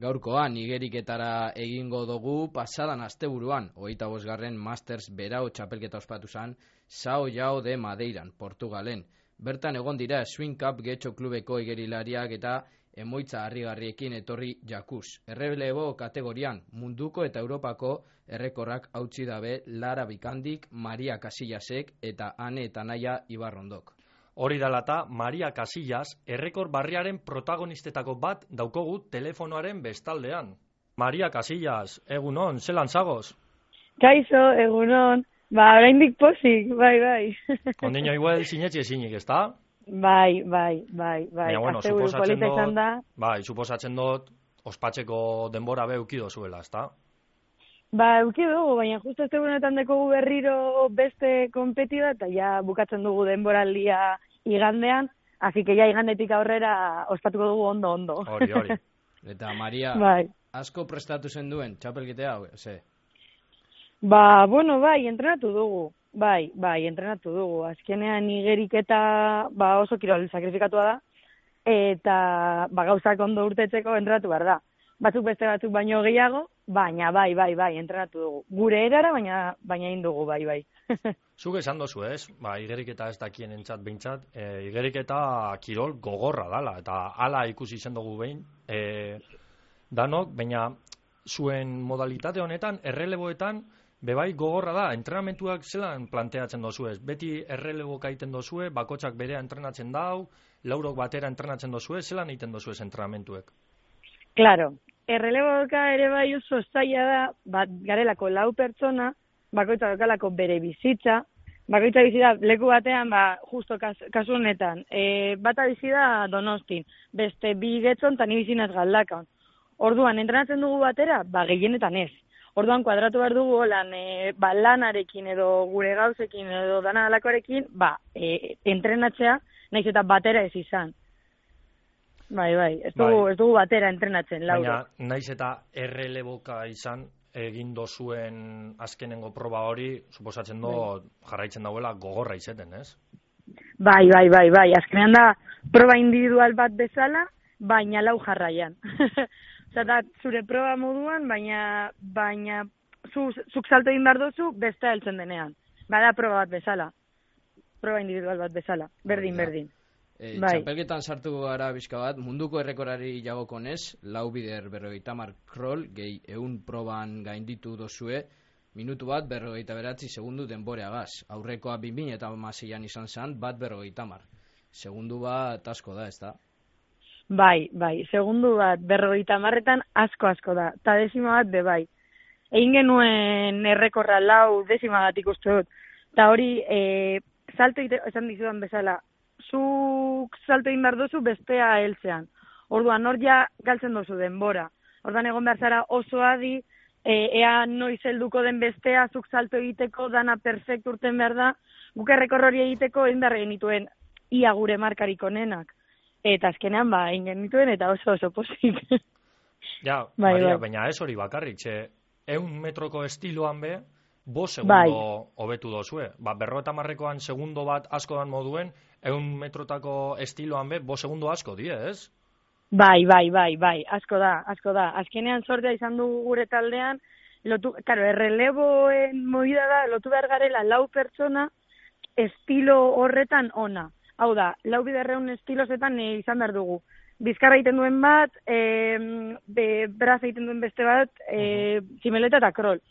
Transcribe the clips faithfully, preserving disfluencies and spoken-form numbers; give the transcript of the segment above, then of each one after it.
Gaurkoan igeriketara egingo dugu pasadan asteburuan, hogeita bosgarren Masters berau txapelketa ospatu zen São João de Madeiran, Portugalen. Bertan egon dira Swing Cup Getxo klubeko igerilariak eta emoitza harrigarriekin etorri jakuz. Errelebo kategorian munduko eta Europako errekorrak hautsi dabe Lara Bikandik, Maria Casillasek eta Ane eta Naia Ibarrondok. Hori dalata, Maria Casillas errekor barriaren protagonistetako bat daukogu telefonoaren bestaldean. Maria Casillas, egunon, zelan zagoz? Kaixo, egunon, ba, oraindik pozik, bai, bai. Ondino igual sinetxe ezinik, ezta? Bai, bai, bai, bai. Baina, bueno, suposatzen dut, bai, suposatzen dut, ospatzeko denbora be eukido zuela, ezta? Ba, euki dugu, baina justo ez egunetan dekogu berriro beste kompetida, eta ja bukatzen dugu denboraldia igandean, así que ja igandetik aurrera ospatuko dugu ondo, ondo. Hori, hori. Eta Maria, bai. Asko prestatu zen duen, txapelkete hau, ze? Ba, bueno, bai, entrenatu dugu. Bai, bai, entrenatu dugu. Azkenean igeriketa ba, oso kirol sakrifikatua da, eta ba, gauzak ondo urtetzeko entrenatu behar da. Batzuk beste batzuk baino gehiago, baina bai, bai, bai, entrenatu dugu. Gure erara, baina baina indugu, bai, bai. Zuk esan dozu, ez? Ba, igeriketa ez dakien entzat behintzat, e, igeriketa kirol gogorra dala, eta hala ikusi zen dugu behin, e, danok, baina zuen modalitate honetan, erreleboetan, bebai gogorra da, entrenamentuak zelan planteatzen dozu ez? Beti errelebo kaiten dozue, bakotxak berea entrenatzen dau, laurok batera entrenatzen dozue, zelan egiten dozu ez entrenamentuek? Claro, erreleboka ere bai oso zaila da, bat garelako lau pertsona, bakoitza dokalako bere bizitza, bakoitza bizi da leku batean, ba, justo kas, kasu honetan, e, bata bizi da Donostin, beste bi Getxon eta ni bizinaz Galdakan. Orduan, entrenatzen dugu batera, ba, gehienetan ez. Orduan, kuadratu behar dugu holan, e, ba, lanarekin edo gure gauzekin edo dana dalakoarekin, ba, e, entrenatzea, nahiz eta batera ez izan. Bai, bai, ez dugu, bai. Ez dugu batera entrenatzen, lauro. Baina, naiz eta erreleboka izan, egin dozuen azkenengo proba hori, suposatzen do, bai. Jarraitzen dauela gogorra izeten, ez? Bai, bai, bai, bai, azkenean da proba individual bat bezala, baina lau jarraian. Osa da, zure proba moduan, baina, baina, zu, zuk salto egin behar dozu, beste heltzen denean. Bada proba bat bezala. Proba individual bat bezala. Berdin, bai, berdin. E, bai. Txapelketan sartu gara bizka bat, munduko errekorari jagokonez, lau bider berrogeita mar krol, gehi eun proban gainditu dozue, minutu bat berrogeita beratzi segundu denboreagaz. Aurrekoa binbin eta maseian izan zen, bat berrogeita mar. Segundu bat asko da, ez da? Bai, bai, segundu bat berrogeita marretan asko-asko da, eta desima bat be bai. Egin genuen errekorra lau desima bat ikustu dut, eta hori, e, salto ite, esan dizudan bezala, zuk salto egin behar duzu bestea heltzean. Orduan, hor ja galtzen duzu denbora. Orduan egon behar zara oso adi, e, ea noiz helduko den bestea, zuk salto egiteko, dana perfekt urten behar da, guk errekor hori egiteko egin behar genituen ia gure markarik onenak. Eta azkenean ba, egin genituen eta oso oso pozik. Ja, bai, Maria, bai. Baina ez hori bakarrik, txe, eun metroko estiloan be, bo segundo hobetu bai. Dozue. Ba, berrota marrekoan segundo bat asko dan moduen, eun metrotako estiloan be, bo segundo asko die, ez? Bai, bai, bai, bai, asko da, asko da. Azkenean sortea izan dugu gure taldean, lotu, karo, erreleboen movida da, lotu behar garela lau pertsona estilo horretan ona. Hau da, lau biderreun estilozetan e, izan behar dugu. Bizkarra egiten duen bat, e, be, braza egiten duen beste bat, e, tximeleta eta krol.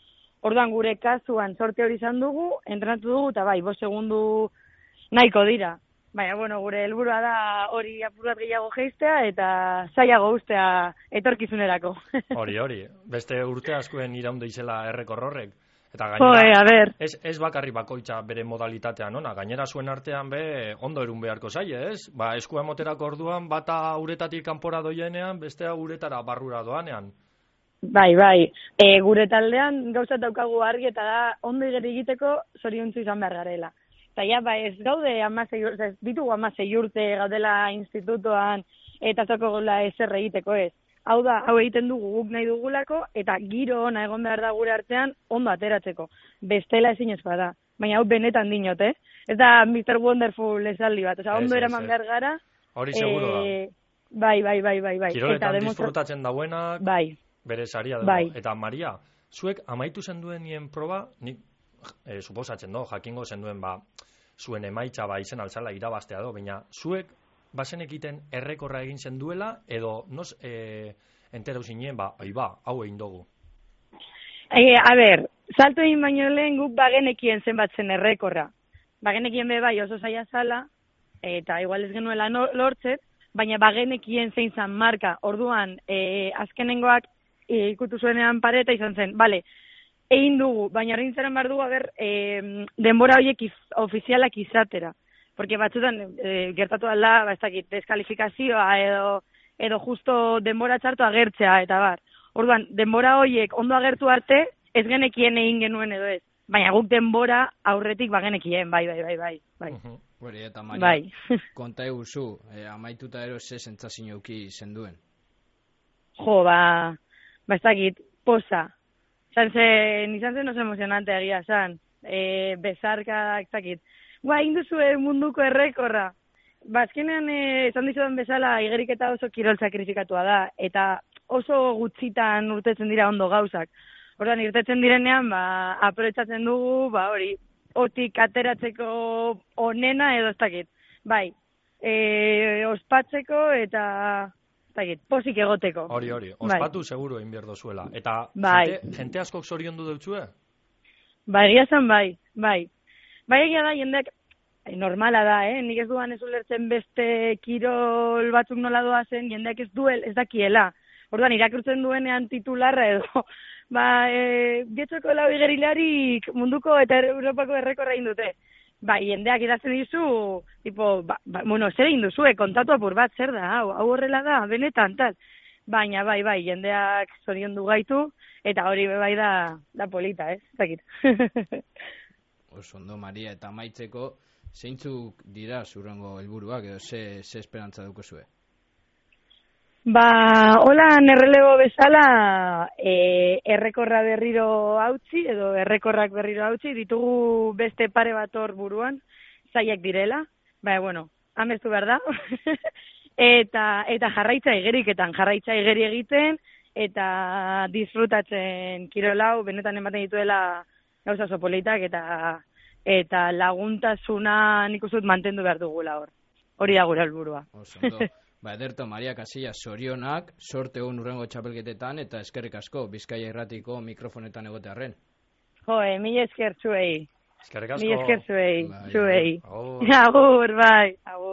Orduan gure kasuan sorte hori izan dugu, entrenatu dugu, eta bai, bost segundu nahiko dira. Baina, bueno, gure helburua da hori apurat gehiago geistea, eta zailago ustea etorkizunerako. Hori, hori. Beste urte askoen iraunde izela errekor horrek. Eta gainera, a ver. Ez, ez bakarri bakoitza bere modalitatean, ona, gainera zuen artean be ondo erun beharko zaie, ez? Ba, eskua moterako orduan, bata uretatik kanpora doienean, bestea uretara barrura doanean. Bai, bai. E, gure taldean gauzat daukagu argi eta da ondo egiteko zoriontzu izan behar garela. Eta ja, ba, ez gaude amasei urte, ez ditugu amasei urte gaudela institutoan eta zoko gola ezer egiteko ez. Hau da, hau egiten dugu guk nahi dugulako, eta giro ona egon behar da gure artean ondo ateratzeko. Bestela ezin ez bada. Baina hau benetan dinot, eh? Ez da mister Wonderful esaldi bat. Osa, ondo eraman behar gara. Hori seguro da. Bai, bai, bai, bai, bai. Kiroletan disfrutatzen dauenak, bai. bere saria dugu. Bai. Eta Maria, zuek amaitu zenduen nien proba, nik e, suposatzen do, jakingo zenduen ba, zuen emaitza ba izen altzala irabaztea do, baina zuek bazen ekiten errekorra egin zenduela, edo nos e, enterau zinen, ba, oi ba, hau egin dugu. E, a ber, salto egin baino lehen guk bagenekien zenbatzen errekorra. Bagenekien be bai oso zaila zala, eta igual ez genuela no, lortzet, baina bagenekien zein zan marka. Orduan, e, azkenengoak e, ikutu zuenean pareta izan zen, bale, egin dugu, baina rintzaren behar dugu, aber, e, denbora horiek iz, ofizialak izatera. Porque batzutan e, gertatu ala, ba, ez dakit, deskalifikazioa edo, edo justo denbora txartu agertzea, eta bar. Orduan, denbora horiek ondo agertu arte, ez genekien egin genuen edo ez. Baina guk denbora aurretik bagenekien, bai, bai, bai, bai. bai. Uh-huh. Hori, eta Maria, bai. konta eguzu, eh, amaituta ero ze sentsazio euki zenduen? Jo, ba, ba ez dakit, posa. Zan zen, izan zen oso emozionante egia, zan. E, bezarka, ez dakit. Gua, induzue munduko errekorra. Ba, azkenean, e, esan dizudan bezala, igeriketa oso kirol sakrifikatua da, eta oso gutxitan urtetzen dira ondo gauzak. Orduan, irtetzen direnean, ba, aprobetxatzen dugu, ba, hori, otik ateratzeko onena edo ez dakit. Bai, e, ospatzeko eta, ez dakit, posik egoteko. Hori, hori, ospatu bai. Seguru egin behar dozuela. Eta bai. jente, jente askok zorion du deutzue? Ba, egia zen bai, bai. Bai egia da, jendeak, normala da, eh? Nik ez duan ez ulertzen beste kirol batzuk nola doazen, jendeak ez duel, ez dakiela. Orduan, irakurtzen duenean titularra edo, ba, e, getxoko lau igerilarik munduko eta Europako errekorra egin dute. Ba, jendeak idazten dizu, tipo, ba, ba, bueno, zer egin duzue, kontatu apur bat, zer da, hau, hau horrela da, benetan, tal. Baina, bai, bai, jendeak zorion du gaitu, eta hori bai da, da polita, ez? Zakit. Oso ondo, Maria, eta amaitzeko, zeintzuk dira zurrengo helburuak edo ze, ze esperantza dukozue? Ba, hola, errelebo bezala, e, errekorra berriro hautsi, edo errekorrak berriro hautsi, ditugu beste pare bat hor buruan, zaiak direla, ba, bueno, amestu behar da, eta, eta jarraitza igeriketan, jarraitza igeri egiten, eta disfrutatzen kirolau, benetan ematen dituela gauza oso politak, eta, eta laguntasuna nik uste dut mantendu behar dugula hor. Hori da gure helburua. Oso ondo. Ba, ederto, Maria Casillas, zorionak, sorte hon urrengo txapelketetan, eta eskerrik asko, Bizkaia Irratiko mikrofonetan egotearren. Jo, eh, mila esker zuei. Eskerrik asko. Mila esker zuei, bai, zuei. Agur. Agur, bai, agur.